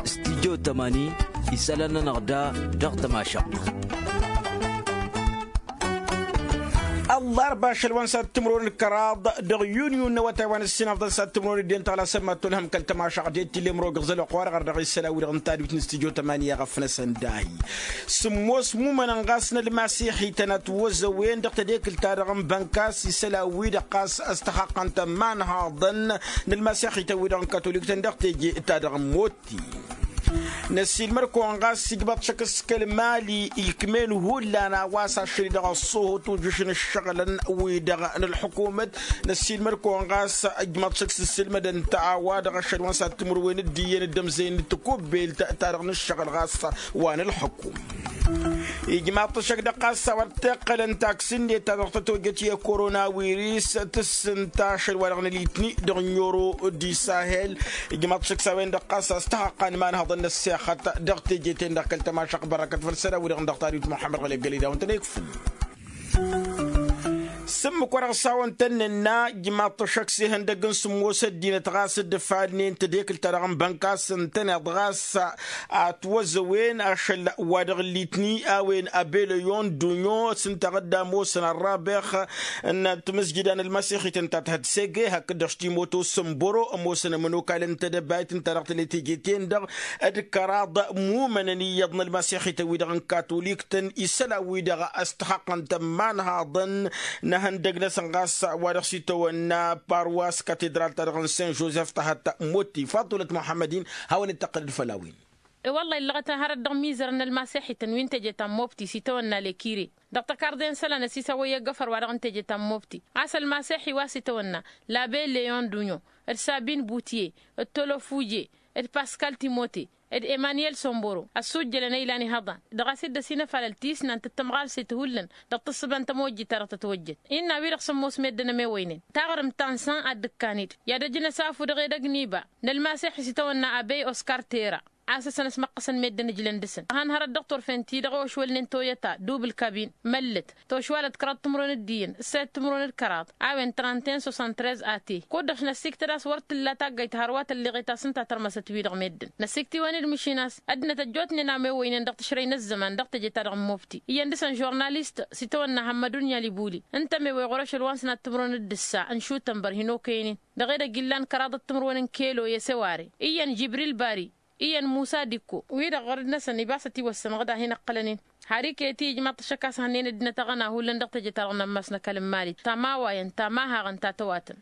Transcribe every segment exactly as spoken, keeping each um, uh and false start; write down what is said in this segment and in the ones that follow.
Stidyo tămani isălan-nănăɣ da dăɣ-tămašăɣt. Ăllarba ašăl wa n-sad timǝrwen d-kăraḍ dăɣ-yunyu n-awătay wa n-ǝssin afḍăn sad timǝrwen d-en tăɣlasăn mad-tolhăm kăl-tămašăɣt d-e t-illa imrog ǝẓălăɣ wa-dăɣ ărdăɣ isălan-wi-dăɣ n-tadwit n-stidyo tămani i-aɣăfnăsăn dahi. Sǝmmos mumănăn ɣas n-ălmasiḥităn ătwăzăwen dăɣ-tedekǝlt-ta-dăɣ n-bănkas isălan-wi-dăɣ ɣas ăstăxaqqăn-tăn imanhaḍăn n-ălmasiḥităn-wi-dăɣ n-katolik-tăn dăɣ-teje ta dăɣ-motti. Năssiilmăr-kăwăn ɣas ijmaḍ-t šăkk s-kăl-mali ikm'-en hullan a-wa s-ašăl-i-dăɣ ăṣṣuhu tujǝš n-ǝššăɣǝlăn-wi-dăɣ n-ălḥukumăt. Năssiilmăr-kăwăn ɣas ijmaḍ-t šăkk s-ǝssǝlmădăn-t a-wa-dăɣ ašăl wa n-sad timǝrwen d-iyyăn d-ămzăyăn n-ǝttǝkubbelt ta dăɣ-nǝššăɣǝl ɣas wa n-ălḥukum. Ijmaḍ-t ăššăk dăɣ-ɣas a-wa dd-tiqqălăn taksi-net ta dăɣ-tăt-ojăt i-korona wiris tǝssǝnta ašăl wa dăɣ-nălitni dăɣ-ǝnnioro d-isahel. Ijmaḍ-t ăššăk s-a-wen-dăɣ ɣas a-s tăhăqqa n-imanhăḍăn n-ăssexăt dăɣ-teje-ten-dăɣ kăl-tămašăɣt bărăkăt făll-isălan-wi-dăɣ dăɣ-tadwit muḥămmăd ɣăli ăggălăy d-a-wen-tăn-ikfǝl. S-ǝmmǝk wa dăɣ-s a-wen tăn-nǝnna ijmaḍ-t ăššăk s-ihăndăgg n-sǝmmos ăddinăt ɣas dd-ǝfalnen tedekǝlt-ta-dăɣ n-bănkas ǝntăneḍ ɣas atwăzăwen ašăl wa dăɣ-litni a-wen abeleyon dunyo s-ǝnta a dd-ămoosăn ărrabex n-timǝzjǝda n-ălmasiḥităn ta tǝhǝd sege hakd-dăɣ s-timoto s-ănbăro ămoosăn ămănokal n-tedăbayt ǝnta dăɣ-tele teje-ten-dăɣ d-kăraḍ mumănăn iyyăḍ n-ălmasiḥităn-wi-dăɣ n-katolik-tăn isălan-wi-dăɣ ăstăxăqqăn-tăn imanhaḍăn n-ehăndăg-năsăn ɣas wa dăɣ-s itawănna parwas katedral-ta-dăɣ n-sen jozef tăhăt motti faḍulăt muḥămmăd-in. Hawăn-dd-tăqqǝlăd făll-a-wen. I-wălla illăɣăt hărăt dăɣ-mizăr n-ălmasiḥităn wi n-teje ta n-mobti s-itawănna lekire dăɣ-tăkarḍe n-isălan ăsisawăy i-agăfăr wa dăɣ-n teje ta n-mobti a-s ălmasiḥi wa s-itawănna labe leon dunyo d-sabin butye d-tolofuje d-paskal timote d-emaniyel somboro ăssujjălăn a ilan ihăḍan dăɣ-a-s dd-ăsinăfalăl tisnant d-tămɣalset hullan dăɣ-tǝssǝba n-tămojjit ta dăɣ-tătwăjjăt. Innă a-wi-dăɣ sămmos meddǝn ămewăynen taɣrǝmt ta n-san ad-dd-ǝkkan-dd i-ad-ăjnăsafu dăɣ-edăgg n-iba n-ălmasiḥ s-itawănna abey oskar tera a-s ăsănăsmăqqăsăn meddǝn ǝjlăn dăɣ-săn ad-han-hărăt dăɣ-turfen-ti-dăɣ ăwăšwălnen toyăta dubǝl kabin măllăt tošwalăt kăraḍ timǝrwen d-iyyăn ǝssayăt timǝrwen d-kăraḍ a-wen trănten sosăn trez ate kud-dăɣ năssiktăd a-s wăr t-tǝlla taggayt hărwa tălleɣet a-s ǝnta tărmăsăt-wi-dăɣ meddǝn năsiktiwăn-dd măšin a-s ăddinăt ăjjootnen amewăynen dăɣ-tǝšrăy n-ăzzăman dăɣ-teje-ta-dăɣ n-mobti iyyăn dăɣ-săn žurnalist s-itawănna hămmădun i-alibuli ǝnta amewăy ɣur-ašăl wa n-sănat timǝrwen d-ǝssa n-šutănbăr hin-okăynen dăɣ-edăgg illan kăraḍăt timǝrwen n-kelo i-seware iyyăn jibril bari iyyăn musa dikko wi-dăɣ ɣărăd-năsăn ibas ătiwăssăn ɣǝd a hin-ăqqălăn-in. Har iket-i ijmaḍ-t ăššăk a-s hănnen ăddinăt aɣăna hullan dăɣ-teje-ta-dăɣ n-ammas n-ăkall n-mali tamawayăn tamahăɣăn ta tăwatăn.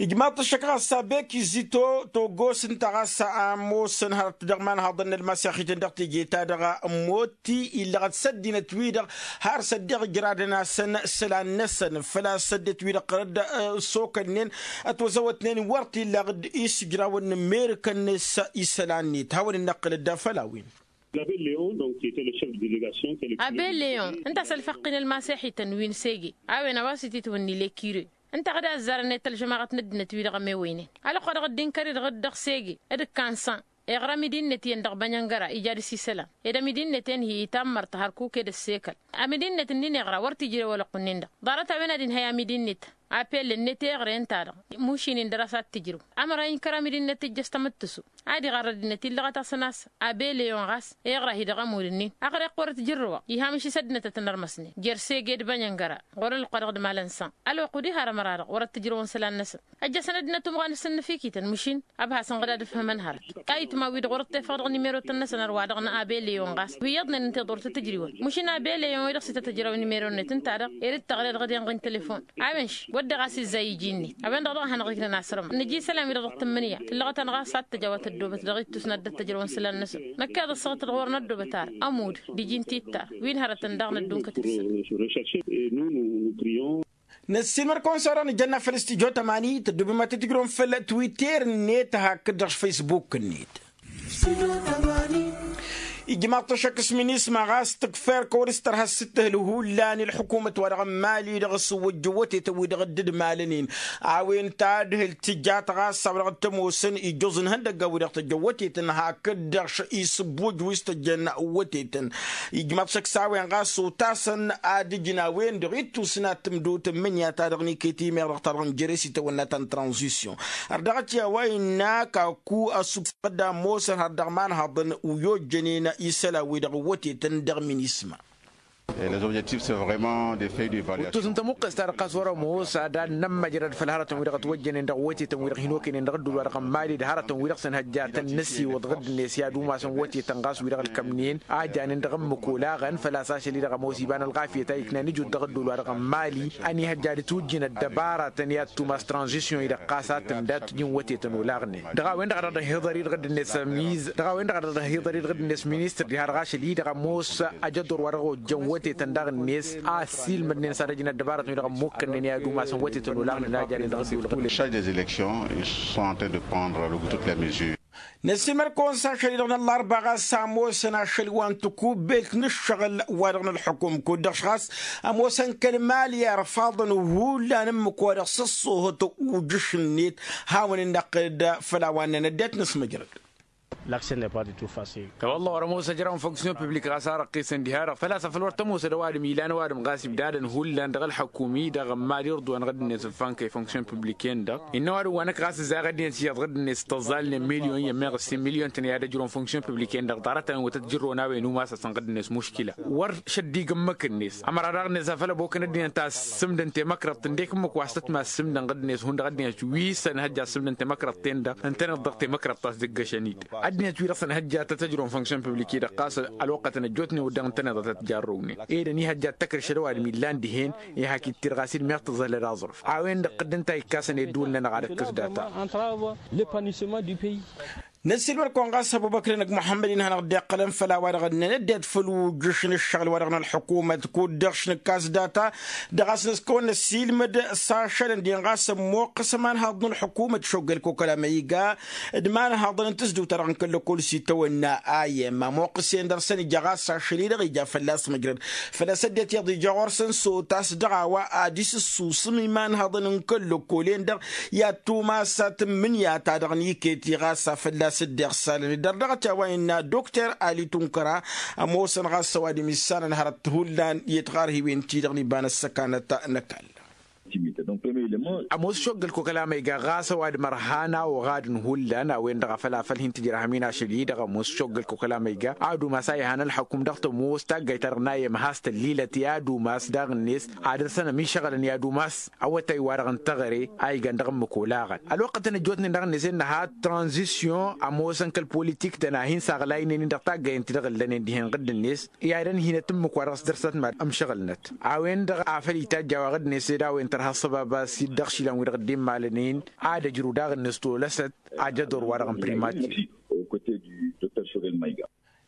Ijmaḍ-t ăššăk ɣas abeki zito togos ǝnta ɣas ămoosăn hărăt dăɣ-imanhaḍăn n-ălmasiḥităn dăɣ-teje-ta-dăɣ n-motti illăɣăt s-ăddinăt-wi-dăɣ har s-ăddiɣ ǝjradăn-asăn isălan-năsăn făl-a-s ăddinăt-wi-dăɣ ɣărăd s-okălnen ătwăzăwătnen wăr t-illa ɣǝd-i s-ǝjrawăn n-merǝkăn-net isălan-net hawăn-dd-năqqǝlăd făll-a-wen. Abe leon ǝnta a-s ălfăqqin ălmaseḥităn wi n-sege a-wen a-wa s-ititwǝnni lekire ǝnta a ɣǝd azzarăn i-tălžămaɣăt n-ăddinăt-wi-dăɣ ămewăynen. Ălwăqq wa dăɣ-dd-inkăr-i-dăɣ dd-dăɣ-sege d-ǝkkan san iɣra amidi-net iyyăn dăɣ-bănyăngăra ija dăr-s isălan ed amidi-net enhi itammărt hărkuk ed ăssekăl. Amidi-net ǝnnin iɣra wăr t-ijrew ălwăqq-nin-dăɣ ḍarăt a-wen ad-inhăy amidi-net apellănnet iɣre ǝnta-dăɣ mušin-in dăr-a-s ad-t-ǝjrǝw. Ămăra inkăr amidi-net tǝjjăš tamǝttǝsu ad-iɣarr ăddinăt illăɣăt-asăn a-s abe leon ɣas iɣra-hi dăɣ-ămud-ǝnnin. Ăɣreɣ wăr-ătjărrǝwăɣ iha măšis ăddinăt a tăn-ărmăsnen jer-sege d-bănyăngăra ɣur-ălwăqq wa dăɣ-dd-malăn san. Ălwăqq wăr-dd-har ămăra-dăɣ wăr-ăttǝjrǝwăn isălan-năsăn. Ăjjăsăn ăddinăt umɣan s-ǝnnǝfikităn măšin ăbhasăn ɣǝd ad-ǝfhǝmăn hărăt ayǝtma-wi-dăɣ wăr-ăṭṭefăɣ dăɣ-nimerotăn-năsăn ărwa dăɣ-năa abe leon ɣas wi iyyăḍnen ǝnta i-ḍorăt tǝjriwăn măšin abe leon-i-dăɣ s-ităt-ăjraw nimeron-net ǝnta-dăɣ ed dd-tăɣled ɣǝd-en ɣǝn telefon. A-wen š-wădden ɣas izzay iji-net a-wen-dăɣ dăɣ-a hanăɣ-iknăn asrămăɣ nǝja isălan-wi-dăɣ dăɣ-tǝmmǝnǝya tǝllăɣăt-anăɣ a-s ad-tăj a-wa tăddobăt dăɣ-ittus n-ad-dd-ăttăjrăwăn isălan-năsăn. Năkk iyyăḍ ăssaɣăt-dd ɣur-năddobăt ar ămudd d-iji n-titta wi n-hărătăn daɣ năddunkăt dăɣ-săn. Năssiilmăd-kăwăn s-orăɣ nǝjănna făll-studyo tămani tăddobem ad-t-tǝjrǝwăm făll-twitter-net hakd-dăɣ s-facebook-net. Ijmaḍ-t ăššăk s-minisma ɣas tǝkfa erk wăr s-tărha s-tǝhǝl hullan i-ălḥukumăt-wa-dăɣ n-mali-dăɣ s-wăjjăn wătetăn-wi-dăɣ dd-malăn-in. A-wen tadhǝlt tǝjjat ɣas a-wa dăɣ-t ămoosăn ijjuẓ n-ihăndăggan-wi-dăɣ tăjjăn wătetăn hakd-dăɣ isǝbbuj wi s-tăjjăn wătetăn. Ijmaḍ-t ăššăk s-a-wen ɣas otasăn ad-ǝjǝn a-wen-dăɣ ittus n-ad-tǝmdǝw tǝmmǝnǝya-ta-dăɣ n-iket i-meɣ dăɣ-ta-dăɣ n-jere s-itawănna ta n-tranzisyon. Ărdăɣăt i-a-wa innă kaku ăssufsăɣ-dd ămoosăn har dăɣ-imanhaḍăn wi ojjănen isălan-wi-dăɣ n-wătetăn dăɣ-minisma. Uttus n-tămuqqes-ta-dăɣ ɣas wăr-ămoos ad-ad-nămmăjrăd făll-hărătăn-wi-dăɣ ătwăjjănen dăɣ-wătetăn-wi-dăɣ hin-okăynen dăɣ-ăddol-wa-dăɣ n-mali d-hărătăn-wi-dăɣ s-ănhăjja tăn-năsiwăḍ ɣǝddǝnet i-ad-umasăn wătetăn ɣas wi-dăɣ ǝlkămnen a janen dăɣ-ǝmmǝk olaɣăn făl-a-s ašăl-i-dăɣ ămoos iba n-ălɣafyăt a iknan ǝjut dăɣ-ăddol-wa-dăɣ n-mali. Ănihăjja ad-ǝtwǝjjǝn ăddăbaratăn i-ad-tumas tranzisyon-i-dăɣ ɣas a tǝmdat ǝjǝn wătetăn olaɣnen dăɣ-a-wen-dăɣ a dăɣ-dd-hiḍăr-i dăɣ-dd-net ămiz dăɣ-a-wen-dăɣ a dăɣ-dd-hiḍăr-i dăɣ-dd-net minisităr diha-dăɣ ašăl-i-dăɣ ămoos ajăḍḍur wa dăɣ-ojjăn wătetăn daɣ-net a ăssiilmădnen s-ad-ăjǝn ăddăbaratăn-wi-dăɣ ămmukkănnen i-ad-umasăn wătetăn olaɣnen a janen dăɣ-ăddul. Dăɣ-ăddul. Năssiilmăd-kăwăn s-ašăl-i-dăɣ n-ăllarba ɣas ămoosăn ašăl wa n-tikubbelt n-ǝššăɣǝl wa dăɣ-nălxukum kud-dăɣ š-ɣas ămoosăn kăl-mali irfaḍăn hullan ǝmmǝk wa dăɣ-s ăṣṣoohăt ujǝš-net. Hawăn-dd-năqqǝd făll-a-wa ǝnnăn ăddinăt n-asmăjrăd. Lakse n-epadi tufasi. Tawălla wăr-ămoos ăjraw n-fonksyon piblik ɣas a răqqisăn diha-dăɣ făl-a-s afăl wăr tămoosăd ăwadǝm ilan ăwadǝm ɣas ibdadăn hullan dăɣ-ălxăkum-i-dăɣ n-mali irḍuwan ɣǝddǝnet ǝffankăy fonksyon pibliken-dăɣ. Innă ăwadǝm wa năkk ɣas ǝzzaɣ ăddinăt iyyăḍ ɣǝddǝnet s-tăẓẓalnen milyon i-ămmeɣ ǝssin milyon-tăn i-ad-ăjrăwăn fonksyon pibliken-dăɣ ḍarăt-tăn wătăt jǝrrăwăn a-wen umas-asăn ɣǝddǝnet muškila. Wăr šăddigăn măkkănnet ămăra daɣ-net afăl ăbokăn ăddinăt a ăssǝmdăn temăkrăḍt ǝndek ǝmmǝk wa s-tăt-massǝmdăn ɣǝddǝnet hundăɣ ăddinăt wi s-ănhăjja ăssǝmdăn temăkrăḍt-ten-dăɣ ǝntăneḍ dăɣ-temăkrăḍt ta s-dd-ǝggăšăn-dd. Ăddinăt-wi-dăɣ s-ănhăjja tăt-ăjrăwăn fonksyon piblik-i-dăɣ ɣas ălwăqqătăn ăjjootnen wădden ǝntăneḍ a tăt-jarrăwnen. Ed ănihăjja d-takr šăd ăwadǝm illan dihen. Ihak ittir ɣas-dd meɣ tǝẓhălăd aẓrǝf a-wen-dăɣ tǝddǝn ta ikkasăn i-ădduul-nănăɣ ad-ǝkkǝs data. Năssiilmăd-kăwăn ɣas ăbubăkrăn d-muḥămmăd-in hanăɣ-dd-iqqălăn făll-a-wa-dăɣ ǝnnăn ăddinăt făll-ujǝš n-ǝššăɣǝl wa dăɣ-nălxukumăt kud-dăɣ š-nǝkkas data. Dăɣ-a-s nǝskăwăn năssiilmăd s-ašăl ǝndin ɣas ămmoqqăs ămanhaḍ n-ălxukumăt šoggăl kokăla ma iga d-imanhaḍăn n-tǝzdǝwt-ta-dăɣ n-kăl-ăkol s-itawănna. Ayem ămoqqăs-en dăr-săn ija ɣas ašăl-i-dăɣ ija fălla-s măjrăd. Făl-a-s ăddinăt iyyăḍ ija ɣur-săn s-otas dăɣ-a-wa ad-isǝssusǝm imanhăḍăn n-kăl-ăkkolen-dăɣ i-ad-tumas atǝmmǝnǝya-ta-dăɣ n-iket-i ɣas a fălla-s dd-iɣsalăn-dd ărdăɣăt i-a-wa innă dokter ali tunkăra. Ămoosăn ɣas ăwadǝm issanăn hărăt hullan i-tiɣarhiwen-ti-dăɣ n-iba n-ăssăkanăt n-ăkall. Ămoos šoggăl kokăla ma iga ɣas ăwadǝm ărhan a oɣadǝn hullan a-wen-dăɣ a făl afăl hin-tǝjrăhăm-in ašăl-i-dăɣ ămoos šoggăl kokăla ma iga ad-umas a iha n-ălxăkum dăɣ-tămoos taggayt-ta-dăɣ n-ayem has-tăllilăt i-ad-umas daɣ-net ad-dăr-săn ămišăɣălăn i-ad-umas. Awătay-wa-dăɣ n-teɣăre a igan dăɣ-ǝmmǝk olaɣăn ălwăqqătăn ăjjootnen daɣ-net ennăha tranzisyon ămoosăn kăl-politik-tăn a hin-saɣlaynen-in dăɣ-taggayăn ti-dăɣ ǝllănen dihen ɣǝdd-net. I-ad-ănhinăt ǝmmǝk wa dăɣ-s dăr-s tătmad ămšăɣǝlnăt a-wen-dăɣ a făl itajj a-wa ɣǝdd-net ed a-wen tărha ăṣṣăbab a-s-dd-ăɣšilăn-wi-dăɣ dd-immalăn-in ad-ăjrǝw daɣ-net tolăsăt. Ajăḍor-wa-dăɣ n-primatir.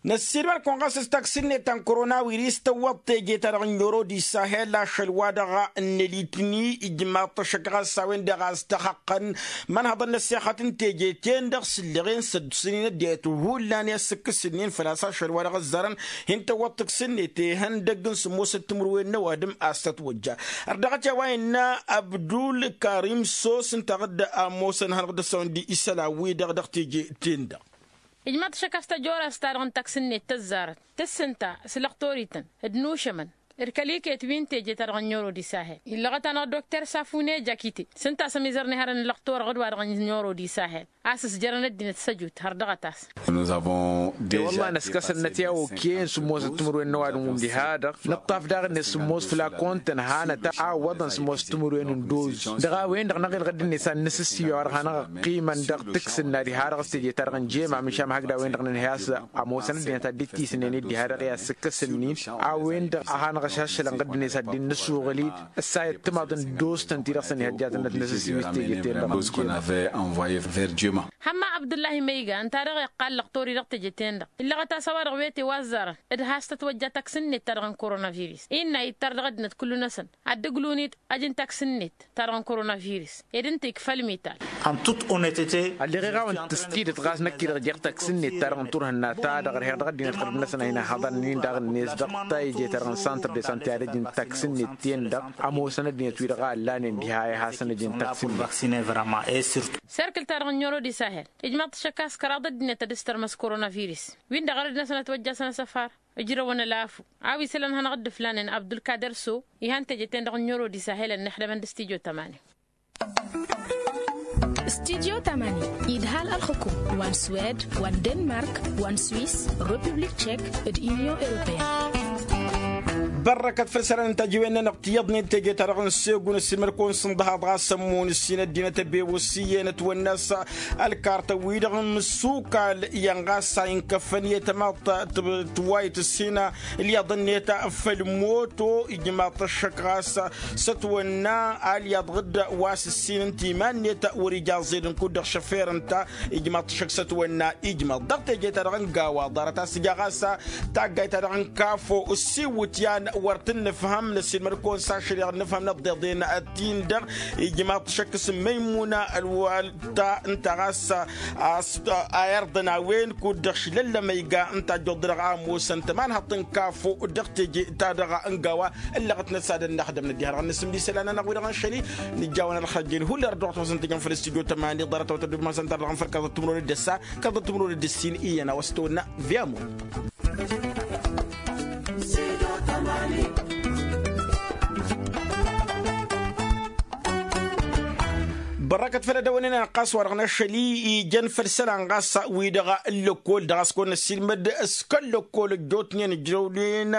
Năssiilmăd-kăwăn ɣas s-taksi-net ta n-koronawiris tăwwăḍ teje-ta-dăɣ n-oro d-isahel ašăl-wa-dăɣ n-elitni ijmaḍ-t ăššăk ɣas a-wen-dăɣ a-s tăxăqqăn. Mănhăḍăn n-ăssexăt n-teje-ten-dăɣ sǝlleɣen s-ăddusăn-in ăddinăt hullan i-ad-sǝkkǝsǝnnin făl-a-s ašăl-wa-dăɣ ăzzarăn. Hin-tăwwăḍ taksi-net ihăndăgg n-sǝmmosăt timǝrwen n-ăwadǝm a-s tătwăjja. Ărdăɣăt i-a-wa innă abdul karim sos ǝnta a dd-ămoosăn hanăɣ-dd-ăssăwăn d-isălan-wi-dăɣ dăɣ-teje-ten-dăɣ. Ijmaḍ-t ăššăk a-s tăjorast-ta-dăɣ n-taksi-net tăzzarăt tǝssǝnta s-lăqtor-ităn d-inušămăn d-kăl-iket wi n-teje-ta-dăɣ n-oro d-isahel illăɣăt-anăɣ dokter safune jakite s-ǝnta a-s ămizărnen harăn ǝllăqtor ɣǝd-wa-dăɣ n-oro d-isahel. A-s ǝsjărăn ăddinăt s-ăjut har dăɣ-ătas. Te wălla năskăsăn năt i-a okăyăn sǝmmosăt timǝrwen n-ăwadǝm-wǝm diha-dăɣ nǝṭṭaf daɣ-net sǝmmos flakon-tăn hanăt a ǝwwăḍăn sǝmmos timǝrwen n-doz. Dăɣ-a-wen-dăɣ năɣ-ilɣǝd-net a n-nǝsǝssiyu a wăr hanăɣ-ăqqimăn dăɣ-tǝks-nănna diha-dăɣ s-teje-ta-dăɣ n-jemam išam hakd a-wen-dăɣ nǝnhăy a-s ămoosăn ăddinăt ad-dd-tisǝnnen-dd diha-dăɣ i-ad-sǝkkăsăn-in. A-wen-dăɣ a hanăɣ Ăššălăn ɣǝddǝnet ad-dd-nǝsuɣǝl-dd ăssayăt timaḍ n-dostăn-ti-dăɣ s-ănihăjjatăn-năt n-asǝsǝwis teje-ten-dăɣ. Hămma abdullah imăyga ǝnta-dăɣ iqqal lăqtor-i dăɣ-teje-ten-dăɣ illăɣăt a-s a-wa-dăɣ wete wa ăzzarăn d-has-tătwăjja taksǝnnet-ta-dăɣ n-korona virus innă ittar dăɣ-ăddinăt kullu-năsăn ad-dd-ǝglun-dd ajǝn taksǝnnet-ta-dăɣ n-korona-virus ed ǝnta ikfa ălmital. Ălleɣ iɣawăn-t s-tidǝt ɣas năkk-i-dăɣ jeɣ taksǝnnet-ta-dăɣ n-turhǝnna-ta-dăɣ ărheɣ dăɣ-ăddinăt ɣărăt-năsăn a hin-ăhhăḍăn-in daɣ-net dăɣ-tayǝje-ta-dăɣ n-santăr de sante ad-ăj n-taksǝnnet-ten-dăɣ ămoosăn ăddinăt-wi-dăɣ a ăllanen diha i-hasăn-ăj n-taksǝnnet. Serkǝl-ta-dăɣ n-ɲoro di sahel ijmaḍ-t ašăk a-s kăraḍ ăddinăt ad-ǝstărmăs korona virus win-dăɣ ărăd-năsăn ătwăjjasăn asăfar ǝjrăwăn ălafu a-wa isălan hanăɣ-dd-ǝflanen abdulkader so. Ihan teje-ten-dăɣ n-ɲoro di sahel ănnixdămăn d-stujo tămani. Stujo tămani idhal ălxǝkum wa n-swed wa n-denmark wa n-swis republik tšek d-inyon europeyăn. Bărrăkăt făll-isălan n-tajiwen-nănăɣ tiyyăḍnen teje-ta-dăɣ n-segun ăssiilmăd-kăwăn s-ǝnḍăhaḍ ɣas ămmun ǝssin ăddinăt ăbewăs iyyăn ătwănna s-ălkartăn-wi-dăɣ n-imǝssukal iyyăn ɣas a inkăffăn i-tămaḍt tǝwwayǝt ǝssin ǝlyaḍ-net făll-moto ijmaḍ-t ăššăk ɣas s-ătwănna alyaḍ ɣǝdd wa s-ǝssin n-timan-net wăr-ija aẓẓed n-kud-dăɣ šăfer ǝnta. Ijmaḍ-t ăššăk s-ătwănna ijmaḍ dăɣ-teje-ta-dăɣ n-gawa ḍarăt a-s ǝja ɣas taggayt-ta-dăɣ n-kafo ǝssiwǝt i-an wăr t-nǝfhăm năsiilmăd-kăwăn s-ašăl i-dăɣ nǝfhăm năḍḍeḍen. Ăttin-dăɣ ijmaḍ-t ăššăk s-măymuna ălwăl ta ǝnta ɣas a s-a irḍăn a-wen kud-dăɣ šlăllăm ăyga ǝnta ăjjoḍ-dăɣ a ămoosăn tămanhăḍt n-kafo dăɣ-teje-ta-dăɣ n-gawa. Ǝllăɣăt-năt s-ad-ănnaxdăm năddiha-dăɣ n-asǝm d-isălan-nănăɣ wi-dăɣ n-šăli nǝjjawăn ălxăjjăyăn hullan ărdăɣăt wa s-ăntăjăn făll-stujo tămani ḍarăt a wătăddumasen ta-dăɣ n-făl kaẓăt timǝrwen d-ăssa kaẓăt timǝrwen d-ǝssin iyyăn a-wa s-tăwănna. Viyamur. Bărrăkăt făll-edăwănen ănɣas wa-dăɣ n-ašăl-i ijăn făll-isălan ɣas wi-dăɣ n-lăkkol dăɣ-a-s kăwăn-năssiilmăd s-kăl-lăkkol ăjjootnen ǝjrăwnen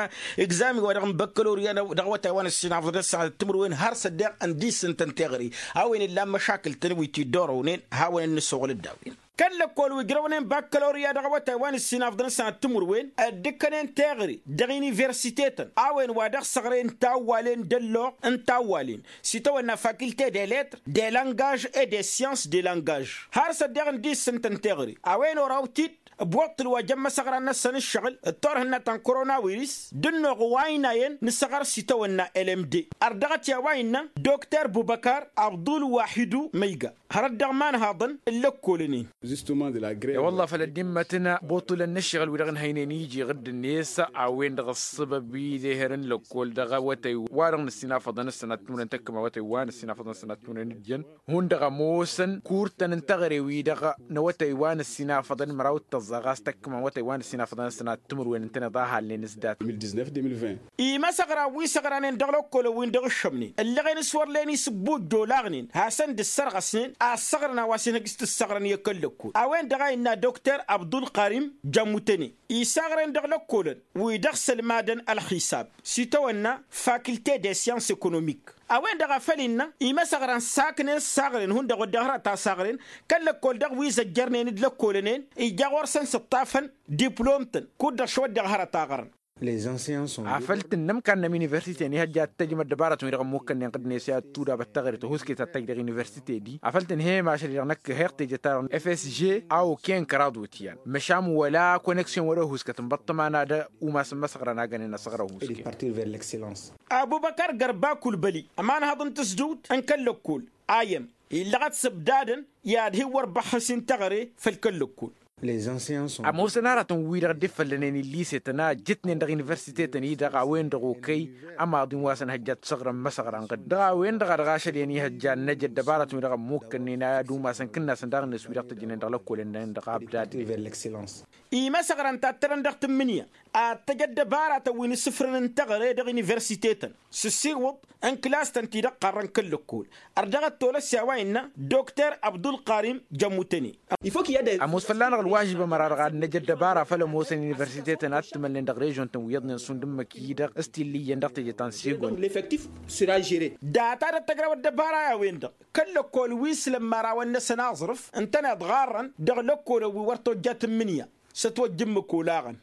egzami wa-dăɣ n-băkkălorya dăɣ-awătay wa n-ăssinafăḍ d-ăssanăt timǝrwen har s-ăddeɣ n-dissǝntăn teɣăre. A-wen illa n-măšakǝl-tăn wi t-dd-orăwnen hawăn-dd-nǝssoɣăl dd-a-wen. Kăl-lăkkol wi ǝjrăwnen bakkălorya dăɣ-awătay wa n-ǝssinafḍăn ăssanăt timǝrwen ăddǝkkănen teɣăre dăɣ-universitetăn a-wen wa dăɣ-săɣren tawwalen d-ălloɣ n-tawwalen s-itawănna fakilte de letr de langaj e de syans de langaj. Har s-ăddeɣ n-dissǝntăn teɣăre a-wen oraw t-dd-ăbwăṭṭǝl wa jăn imăsăɣran-năsăn ǝššăɣǝl d-turhǝnna ta n-korona wiris d-ǝnnuɣ wa ăynayăn n-asăɣăr s-itawănna lmd. Ărdăɣăt i-a-wa innă dokter bubăkar abdul wahidu măyga hărăt dăɣ-imanhaḍăn n-lăkkolănen. I-wălla făl ăddimmătăn buṭulăn n-ǝššăɣǝl wi-dăɣ n-hăynen iji ɣǝdd-net a-wen-dăɣ ăṣṣăbăb i-deher n-lăkkol dăɣ-awătay wa-dăɣ n-ăssinafăḍăn ăssanat timǝrwen tăkkăm awătay wa n-ăssinafăḍăn ăssanat timǝrwen d-jăn. Hundăɣ ămoosăn kurtăn n-teɣăre-wi-dăɣ n-awătay wa n-ăssinafăḍăn măraw d-tăẓẓa ɣas tăkkăm awătay wa n-ăssinafăḍăn ăssanat timǝrwen ǝntăneḍ a halnen s-dat. Imăsăɣra wi săɣranen dăɣ-lăkkolăn-win-dăɣ ǝššămnen ǝllăɣen s-wăr len isǝbbuj d-olaɣnen hasăn-dd-ǝssărɣăsnen a ăssăɣrăn a-wa s-inhăj s-tǝssăɣrăn i-kăl-lăkkol a-wen-dăɣ a innă dokter abdulkarim jămmutăne isaɣren dăɣ-lăkkolăn wi dăɣ-sălmadăn ălxisab s-itawănna fakilte de syans ekonomik. A-wen-dăɣ a făl innă imăsăɣran saknen saɣren hundăɣ wădden hărăt a saɣren kăl-lăkkol dăɣ-wi zăjjărnen d-lăkkolănen ija ɣur-săn s-ǝṭṭafăn diplom-tăn kud-dăɣ šăwădden hărăt a ɣărăn. Afăl tǝnnăm kannăm universite n-ihăjja ad-tăjjăm ăddăbarătăn wi-dăɣ ămmukkănnen ɣǝddǝnet i-ad-tudabăt taɣre tăhuske ta t-tăjj dăɣ-universite-di afăl tǝnhăyăm ašăl-i-dăɣ năkk heɣ teje-ta-dăɣ n-fsg a oken kăraḍ wǝtyan măšan wăla koneksyon wăla ohuskăt n-băṭṭăma n-ad-umasăn măsăɣrăn a gănen asăɣra ohuske. Abubăkar gărba kulbăli ămanhăḍ n-tǝsdǝwt n-kăl-lăkkol a iyyăm illăɣăt s-ǝbdadăn i-ad-hin-wăr băxxăs-in teɣăre făll-kăl-lăkkol. Ămoosăn aratăn-wi-dăɣ dd-iffăllănen illisetăn a ǝjjǝtnen dăɣ-universitetăn-i-dăɣ a-wen-dăɣ okăy ămaḍin wa s-ănhăjja ad-t-săɣrăn măsăɣra n-ɣǝd dăɣ-a-wen-dăɣ a dăɣ-ašăl i-ănihăjja ad-năj ăddăbarătăn-wi-dăɣ ămmukkănnen ad-umasăn kǝnnasăn daɣ-net wi-dăɣ tăjjănen dăɣ-lăkkolăn-nănăɣ dăɣ-abdad. Imăsăɣra ǝnta ad-tărăn dăɣ-tǝmmǝnǝya ad-tăj ăddăbarătăn wi n-asǝfrǝn n-teɣăre dăɣ-universitetăn s-ǝssiwǝḍ n-kǝlas-tăn-ti-dăɣ ɣarrăn kăl-lăkkol. Ărdăɣăt tolăs i-a-wa innă dokter abdulkarim jămmutăne. Ămoos fălla-năɣ ălwažib ămăra-dăɣ ad-năj ăddăbara făll-ămoosăn universitetăn ad-t-mălnen dăɣ-režion-tăn wi iyyăḍnen šund ǝmmǝk-i-dăɣ s-t-illa iyyăn dăɣ-teje ta n-sigon. Data dăɣ-tăjrawăt ăddăbara i-a-wen-dăɣ kăl-lăkkol wi s-lămmarawăn-năsăn aẓrǝf ǝntăneḍ ɣarrăn dăɣ-lăkkolăn wi wăr tojja tǝmmǝnǝya s-ătwăjja ǝmmǝk olaɣăn.